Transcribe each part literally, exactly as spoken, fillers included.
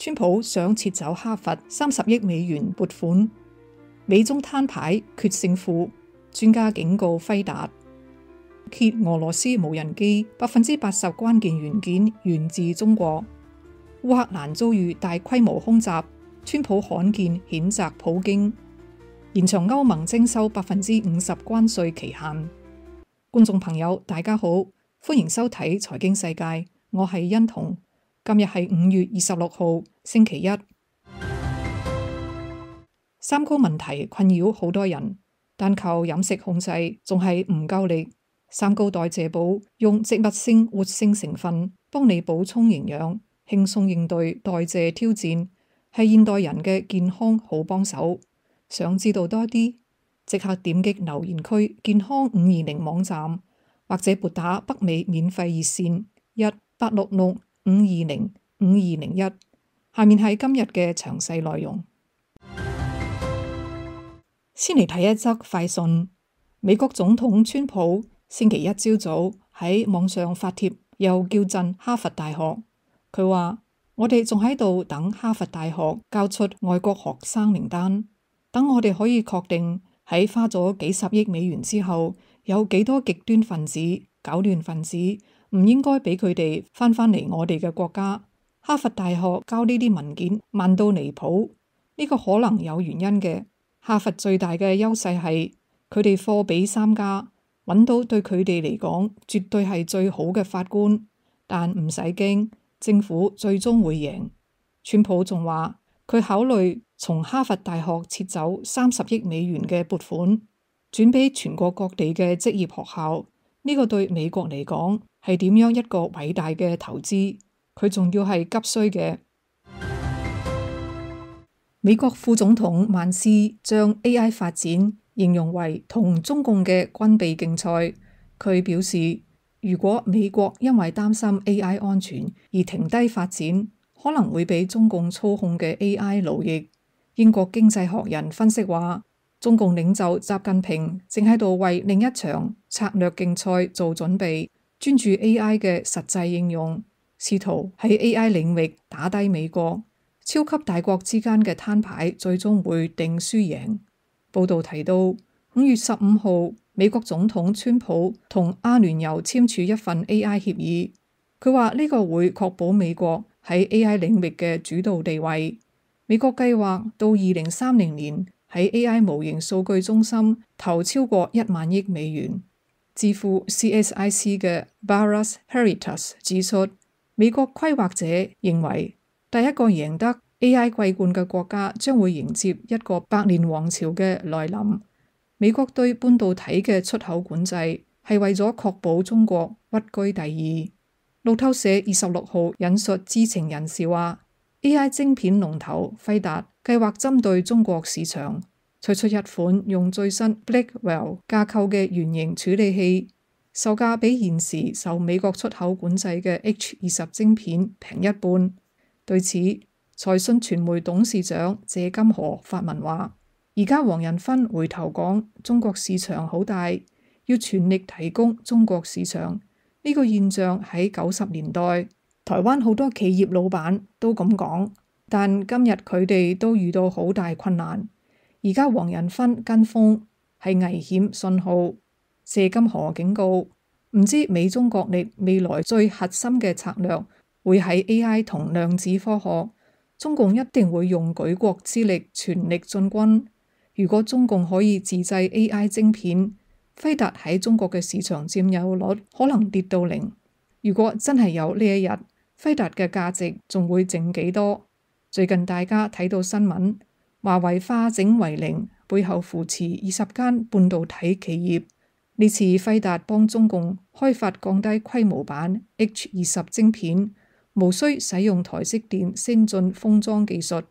川普想撤走哈佛三十億美元撥款，美中攤牌決勝負，專家警告輝達，揭俄羅斯無人機百分之八十關鍵元件源自中國。烏克蘭遭遇大規模空襲，川普罕見譴責普京，延長歐盟徵收百分之五十關稅期限。觀眾朋友大家好，歡迎收睇財經世界，我係欣彤。今日係五月二十六號星期一。三高問題困擾好多人，單靠飲食控制仲係唔夠力。三高代謝寶用植物性活性成分幫你補充營養，輕鬆應對代謝挑戰，係現代人嘅健康好幫手。想知道多啲，即刻點擊留言區健康五二零網站，或者撥打北美免費熱線一八六六五二零五二零一。下面係今日嘅詳細內容。先嚟睇一則快訊。美國總統川普星期一朝早喺網上發帖，又叫陣哈佛大學。佢話：我哋仲喺度等哈佛大學交出外國學生名單，等我哋可以確定喺花咗幾十億美元之後，有幾多極端分子、搞亂分子唔應該俾佢哋翻返嚟我哋嘅國家。哈佛大學交呢啲文件慢到離譜，呢個可能有原因嘅。哈佛最大嘅優勢係佢哋貨比三家，揾到對佢哋嚟講絕對係最好嘅法官，但唔使驚，政府最終會贏。川普仲話佢考慮從哈佛大學撤走三十億美元嘅撥款，轉俾全國各地嘅職業學校。呢個對美國嚟講係點樣一個偉大嘅投資？佢仲要係急需嘅。美國副總統萬斯將 A I 發展形容為同中共嘅軍備競賽。佢表示，如果美國因為擔心 A I 安全而停低發展，可能會俾中共操控嘅 A I 奴役。英國經濟學人分析話，中共領袖習近平正喺度為另一場策略競賽做準備，專注 A I 嘅實際應用，試圖喺 A I 領域打低美國。超級大國之間嘅攤牌最終會定輸贏。報道提到，五月十五號，美國總統川普同阿聯酋簽署一份 A I 協議。佢話呢個會確保美國喺 A I 領域嘅主導地位。美國計劃到二零三零年喺 A I 模型數據中心投超過一萬億美元。智庫 C S I C 嘅 Baras Heritas 指出，美國規劃者認為，第一個贏得 A I 桂冠嘅國家將會迎接一個百年王朝嘅來臨。美國對半導體嘅出口管制係為咗確保中國屈居第二。路透社二十六號引述知情人士話， A I 晶片龍頭輝達計劃針對中國市場推出一款用最新 Blackwell 架構嘅原型處理器，售價比現時受美國出口管制嘅 H 二十晶片平一半。對此，財訊傳媒董事長謝金河發文話：而家黃仁勳回頭講中國市場好大，要全力提供中國市場。呢個現象喺九十年代台灣好多企業老闆都咁講，但今日佢哋都遇到好大困難。而家黃仁勳跟風係危險信號。謝金河警告，唔知美中角力未來最核心嘅策略會喺 A I 同量子科學，中共一定會用舉國之力全力進軍。如果中共可以自製 A I 晶片，輝達喺中國嘅市場佔有率可能跌到零。如果真係有呢一日，輝達嘅價值仲會剩幾多？最近大家睇到新聞，華為化整為零，背後扶持二十間半導體企業。呢次輝達幫中共開發降低規模版 H 二十晶片，無需使用台積電先進封裝技術，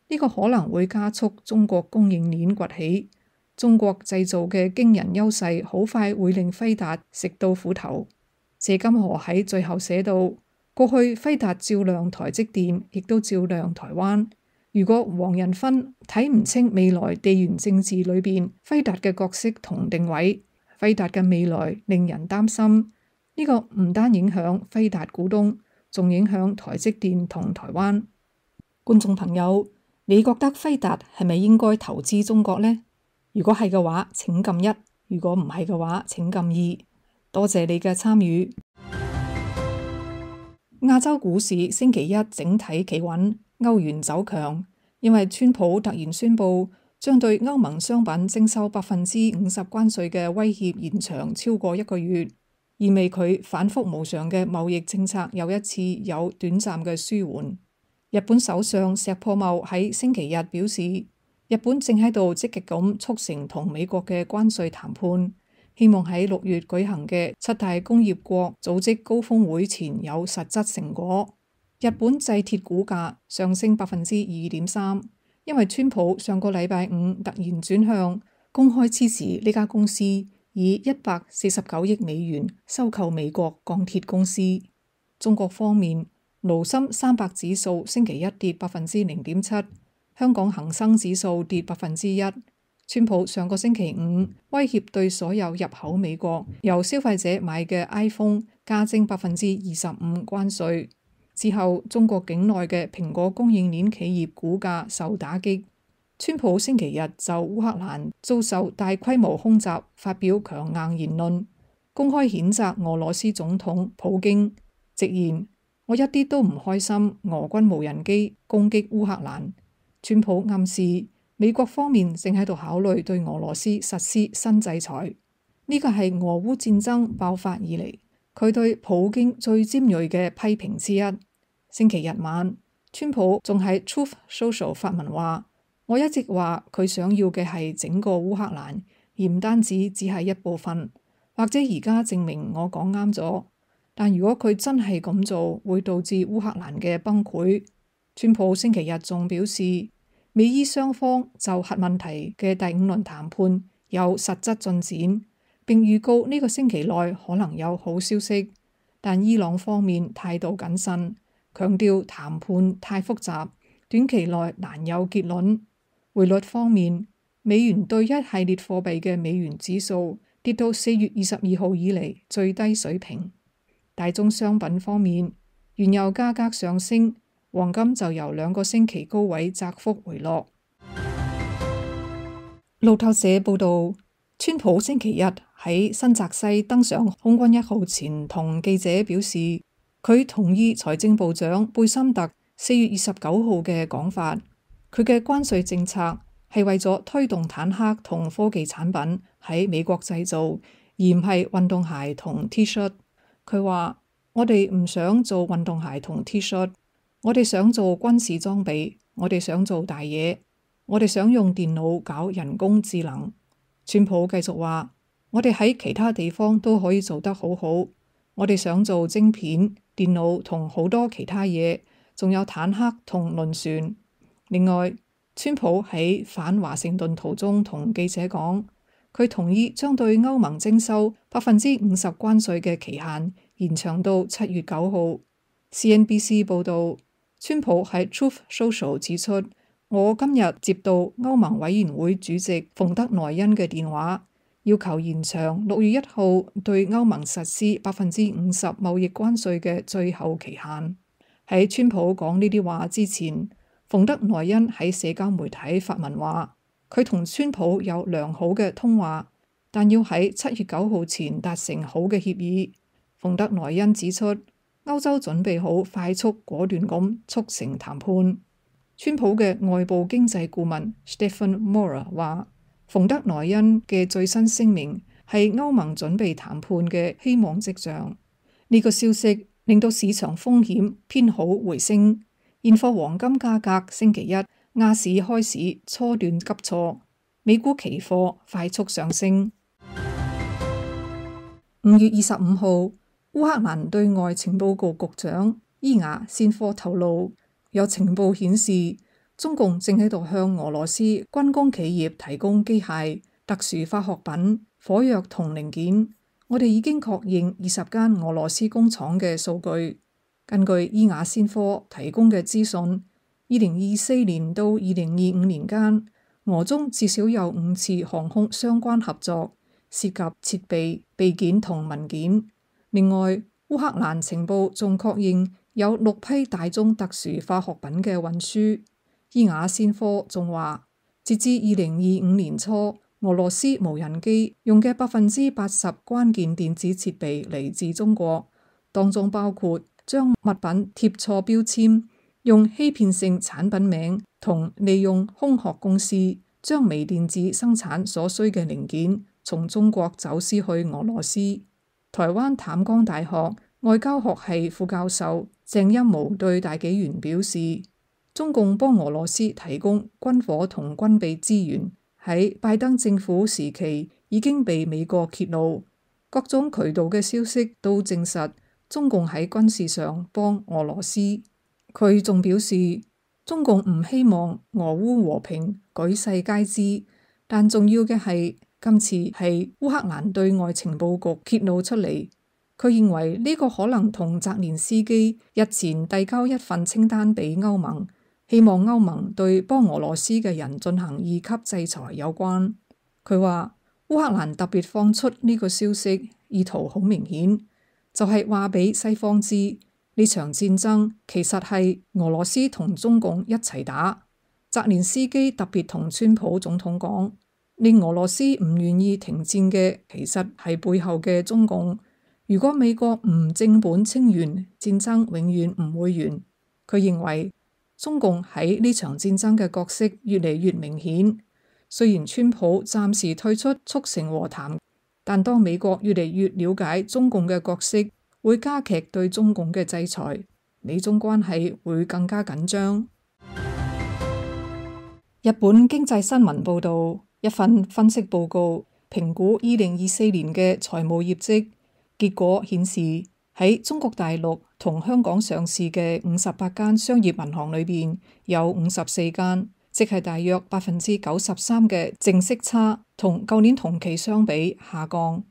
呢個可能會加速中國供應鏈崛起。中國製造嘅驚人優勢好快會令輝達食到苦頭。謝金河喺最後寫到，過去輝達照亮台積電，亦都照亮台灣。如果黃仁勳睇唔清未來地緣政治裏邊輝達嘅角色同定位，輝達嘅未來令人擔心。呢個唔單影響輝達股東，仲影響台積電同台灣。觀眾朋友，你覺得輝達係咪應該投資中國呢？如果係嘅話，請撳一；如果唔係嘅話，請撳二。多謝你嘅參與。亞洲股市星期一整體企穩，歐元走強，因為川普突然宣布將對歐盟商品徵收百分之五十關稅嘅威脅延長超過一個月，意味佢反覆無常嘅貿易政策又一次有短暫嘅舒緩。日本首相石破茂喺星期日表示，日本正喺度積極咁促成同美國嘅關稅談判，希望喺六月舉行嘅七大工業國組織高峰會前有實質成果。日本製鐵股價上升百分之二點三，因為川普上個禮拜五突然轉向公開支持呢家公司以一百四十九億美元收購美國鋼鐵公司。中國方面，滬深三百指數星期一跌百分之零點七，香港恒生指數跌百分之一。川普上個星期五威脅對所有入口美國由消費者買嘅 iPhone 加徵百分之二十五關稅之後，中國境內嘅蘋果供應鏈企業股價受打擊。川普星期日就烏克蘭遭受大規模空襲發表強硬言論，公開譴責俄羅斯總統普京，直言我一啲都唔開心俄軍無人機攻擊烏克蘭。川普暗示美國方面正喺度考慮對俄羅斯實施新制裁，呢個係俄烏戰爭爆發以嚟佢對普京最尖銳嘅批評之一。星期日晚，川普仲喺 Truth Social 發文話，我一直話佢想要嘅係整個烏克蘭，而唔單止只係一部分，或者而家證明我講啱咗。但如果佢真係咁做，會導致烏克蘭嘅崩潰。川普星期日仲表示，美伊雙方就核問題嘅第五輪談判有實質進展，並預告呢個星期內可能有好消息。但伊朗方面態度謹慎，強調談判太複雜，短期內難有結論。匯率方面，美元對一系列貨幣嘅美元指數跌到四月二十二號以嚟最低水平。大宗商品方面，原油價格上升，黃金就由兩個星期高位窄幅回落。路透社報道，川普星期日喺新澤西登上空軍一號前同記者表示，佢同意財政部長貝森特四月二十九號嘅講法，佢嘅關稅政策係為咗推動坦克同科技產品喺美國製造，而唔係運動鞋同 T 恤。佢話：我哋唔想做運動鞋同 T 恤。我哋想做軍事裝備，我哋想做大嘢，我哋想用電腦搞人工智能。川普繼續話：我哋喺其他地方都可以做得好好，我哋想做晶片、電腦同好多其他嘢，仲有坦克同輪船。另外，川普喺返華盛頓途中同記者講，佢同意將對歐盟徵收百分之五十關稅嘅期限延長到七月九號。C N B C 報道，川普喺 Truth Social 指出，我今日接到歐盟委員會主席馮德萊恩嘅電話，要求延長六月一號對歐盟實施百分之五十貿易關稅嘅最後期限。喺川普講呢啲話之前，馮德萊恩喺社交媒體發文話，佢同川普有良好嘅通話，但要喺七月九號前達成好嘅協議。馮德萊恩指出，歐洲準備好快速果斷咁促成談判。川普嘅外部經濟顧問 Stephen Mora 話，馮德萊恩嘅最新聲明係歐盟準備談判嘅希望跡象。呢個消息令到市場風險偏好回升，現貨黃金價格星期一亞市開市初段急挫，美股期貨快速上升。五月二十五號，烏克蘭對外情報局局長伊雅先科透露，有情報顯示中共正喺度向俄羅斯軍工企業提供機械、特殊化學品、火藥同零件。我哋已經確認二十間俄羅斯工廠嘅數據。根據伊雅先科提供嘅資訊，二零二四年到二零二五年間，俄中至少有五次航空相關合作，涉及設備、備件同文件。另外，烏克蘭情報仲確認有六批大宗特殊化學品嘅運輸。伊雅先科仲話，截至二零二五年初，俄羅斯無人機用嘅百分之八十關鍵電子設備嚟自中國，當中包括將物品貼錯標籤、用欺騙性產品名同利用空殼公司將微電子生產所需嘅零件從中國走私去俄羅斯。台灣淡江大學外交學系副教授鄭欽模對大紀元表示，中共幫俄羅斯提供軍火同軍備資源，喺拜登政府時期已經被美國揭露，各種渠道嘅消息都證實中共喺軍事上幫俄羅斯。佢仲表示，中共唔希望俄烏和平舉世皆知，但重要嘅係今次係烏克蘭對外情報局揭露出嚟。佢認為呢個可能同澤連斯基日前遞交一份清單俾歐盟，希望歐盟對幫俄羅斯嘅人進行二級制裁有關。佢話烏克蘭特別放出呢個消息，意圖好明顯，就係話俾西方知呢場戰爭其實係俄羅斯同中共一齊打。澤連斯基特別同川普總統講，令俄羅斯唔願意停戰嘅其實係背後嘅中共。如果美國唔正本清源，戰爭永遠唔會完。佢認為中共喺呢場戰爭嘅角色越嚟越明顯。雖然川普暫時退出促成和談，但當美國越嚟越了解中共嘅角色，會加劇對中共嘅制裁，美中關係會更加緊張。日本經濟新聞報導，一份分析報告評估二零二四年嘅財務業績。結果顯示，喺中國大陸同香港上市嘅五十八間商業銀行裏邊，有五十四間，即係大約百分之九十三嘅淨息差，同舊年同期相比下降。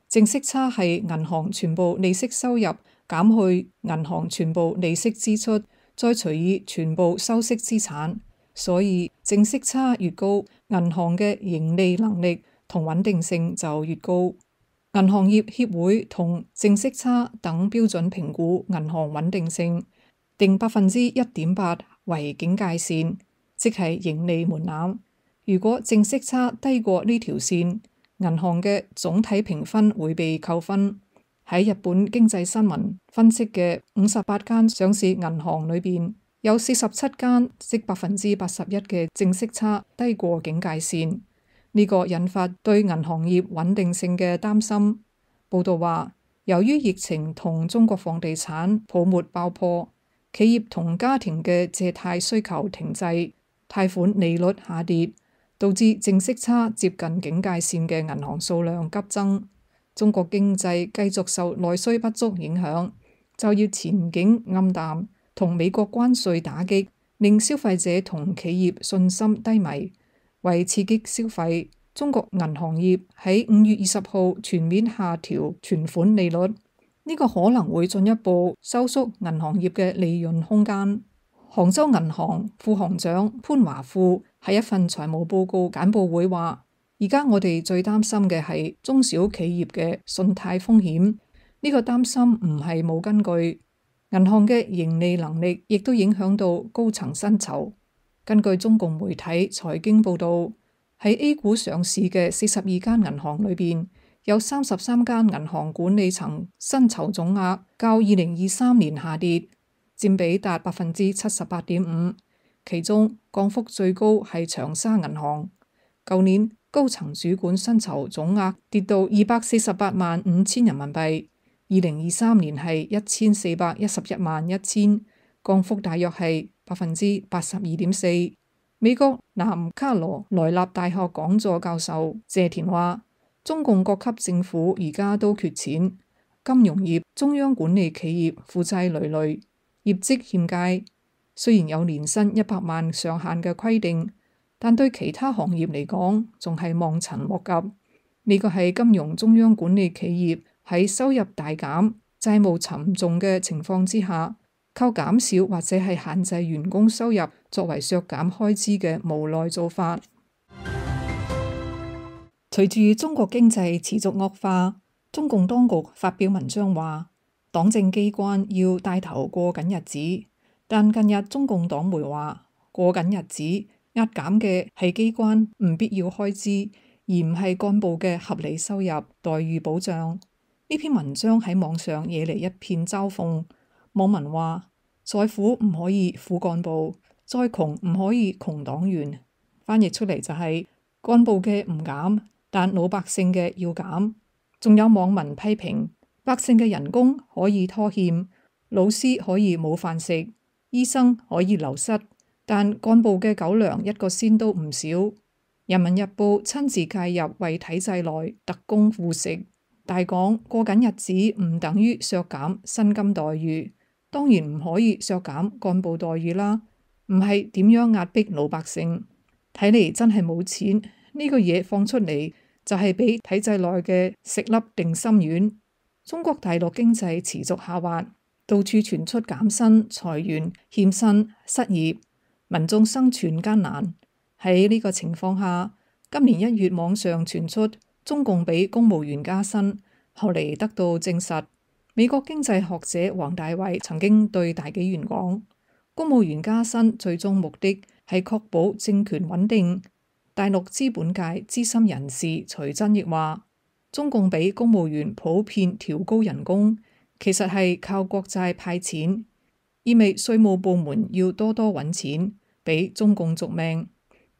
淨息差係銀行全部利息收入減去銀行全部利息支出，再除以全部收息資產。所以淨息差越高，銀行嘅盈利能力同穩定性就越高。銀行業協會同淨息差等標準評估銀行穩定性，定百分之一點八為警戒線，即係盈利門檻。如果淨息差低過呢條線，銀行嘅總體評分會被扣分。喺日本經濟新聞分析嘅五十八間上市銀行裏邊，有四十七間，即百分之八十一嘅淨息差低過警戒線。呢個引發對銀行業穩定性嘅擔心。報道話，由於疫情同中國房地產泡沫爆破，企業同家庭嘅借貸需求停滯，貸款利率下跌，導致淨息差接近警戒線嘅銀行數量急增。中國經濟繼續受內需不足影響，就業前景暗淡，同美國關稅打擊，令消費者同企業信心低迷。為刺激消費，中國銀行業喺五月二十號全面下調存款利率，呢個可能會進一步收縮銀行業嘅利潤空間。杭州銀行副行長潘華富喺一份財務報告簡報會話，而家我哋最擔心嘅係中小企業嘅信貸風險，呢個擔心唔係冇根據。銀行嘅盈利能力亦都影響到高層薪酬。根據中共媒體財經報導，喺 A 股上市嘅四十二間銀行裏邊，有三十三間銀行管理層薪酬總額較二零二三年下跌，佔比達百分之七十八點五。其中降幅最高係長沙銀行，舊年高層主管薪酬總額跌到二百四十八萬五千人民幣，二零二三年係一千四百一十一萬一千，降幅大約係百分之八十二點四。美國南卡羅來納大學講座教授謝田話，中共各級政府而家都缺錢，金融業、中央管理企業負債累累，業績欠佳。雖然有年薪一百萬上限嘅規定，但對其他行業嚟講仲係望塵莫及。呢個係金融中央管理企業喺收入大減、債務沉重嘅情況之下，靠減少或者係限制員工收入作為削減開支嘅無奈做法。隨住中國經濟持續惡化，中共當局發表文章話，黨政機關要帶頭過緊日子，但近日中共黨媒話過緊日子壓減嘅係機關唔必要開支，而唔係幹部嘅合理收入待遇保障。呢篇文章喺網上惹嚟一片嘲諷，網民話再苦唔可以苦幹部，再窮唔可以窮黨員。翻譯出嚟就係幹部嘅唔減，但老百姓嘅要減。仲有網民批評百姓嘅人工可以拖欠，老師可以冇飯食，醫生可以流失，但幹部嘅狗糧一個仙都唔少。人民日報親自介入為體制內特供護食，大講過緊日子唔等於削減薪金待遇，當然唔可以削減幹部待遇啦，唔係點樣壓迫老百姓？睇嚟真係冇錢，呢個嘢放出嚟就係俾體制內嘅食粒定心丸。中國大陸經濟持續下滑，到處傳出減薪、裁員、欠薪、失業，民眾生存艱難。喺呢個情況下，今年一月網上傳出中共俾公務員加薪，後嚟得到證實。美國經濟學者黃大衛曾經對大紀元講，公務員加薪最終目的係確保政權穩定。大陸資本界資深人士徐真亦話，中共俾公務員普遍調高人工，其實係靠國債派錢，意味稅務部門要多多揾錢，俾中共續命。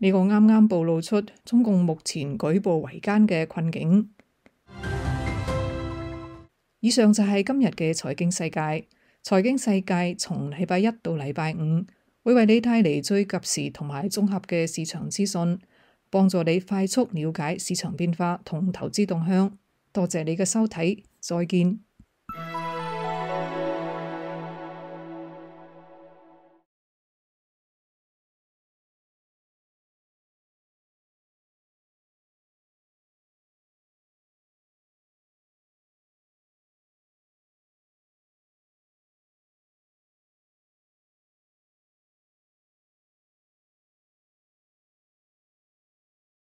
呢個啱啱暴露出中共目前舉步維艱嘅困境。以上就係今日嘅財經世界。財經世界從禮拜一到禮拜五會為你帶嚟最及時同埋綜合嘅市場資訊，幫助你快速了解市場變化同投資動向。多謝你嘅收睇，再見。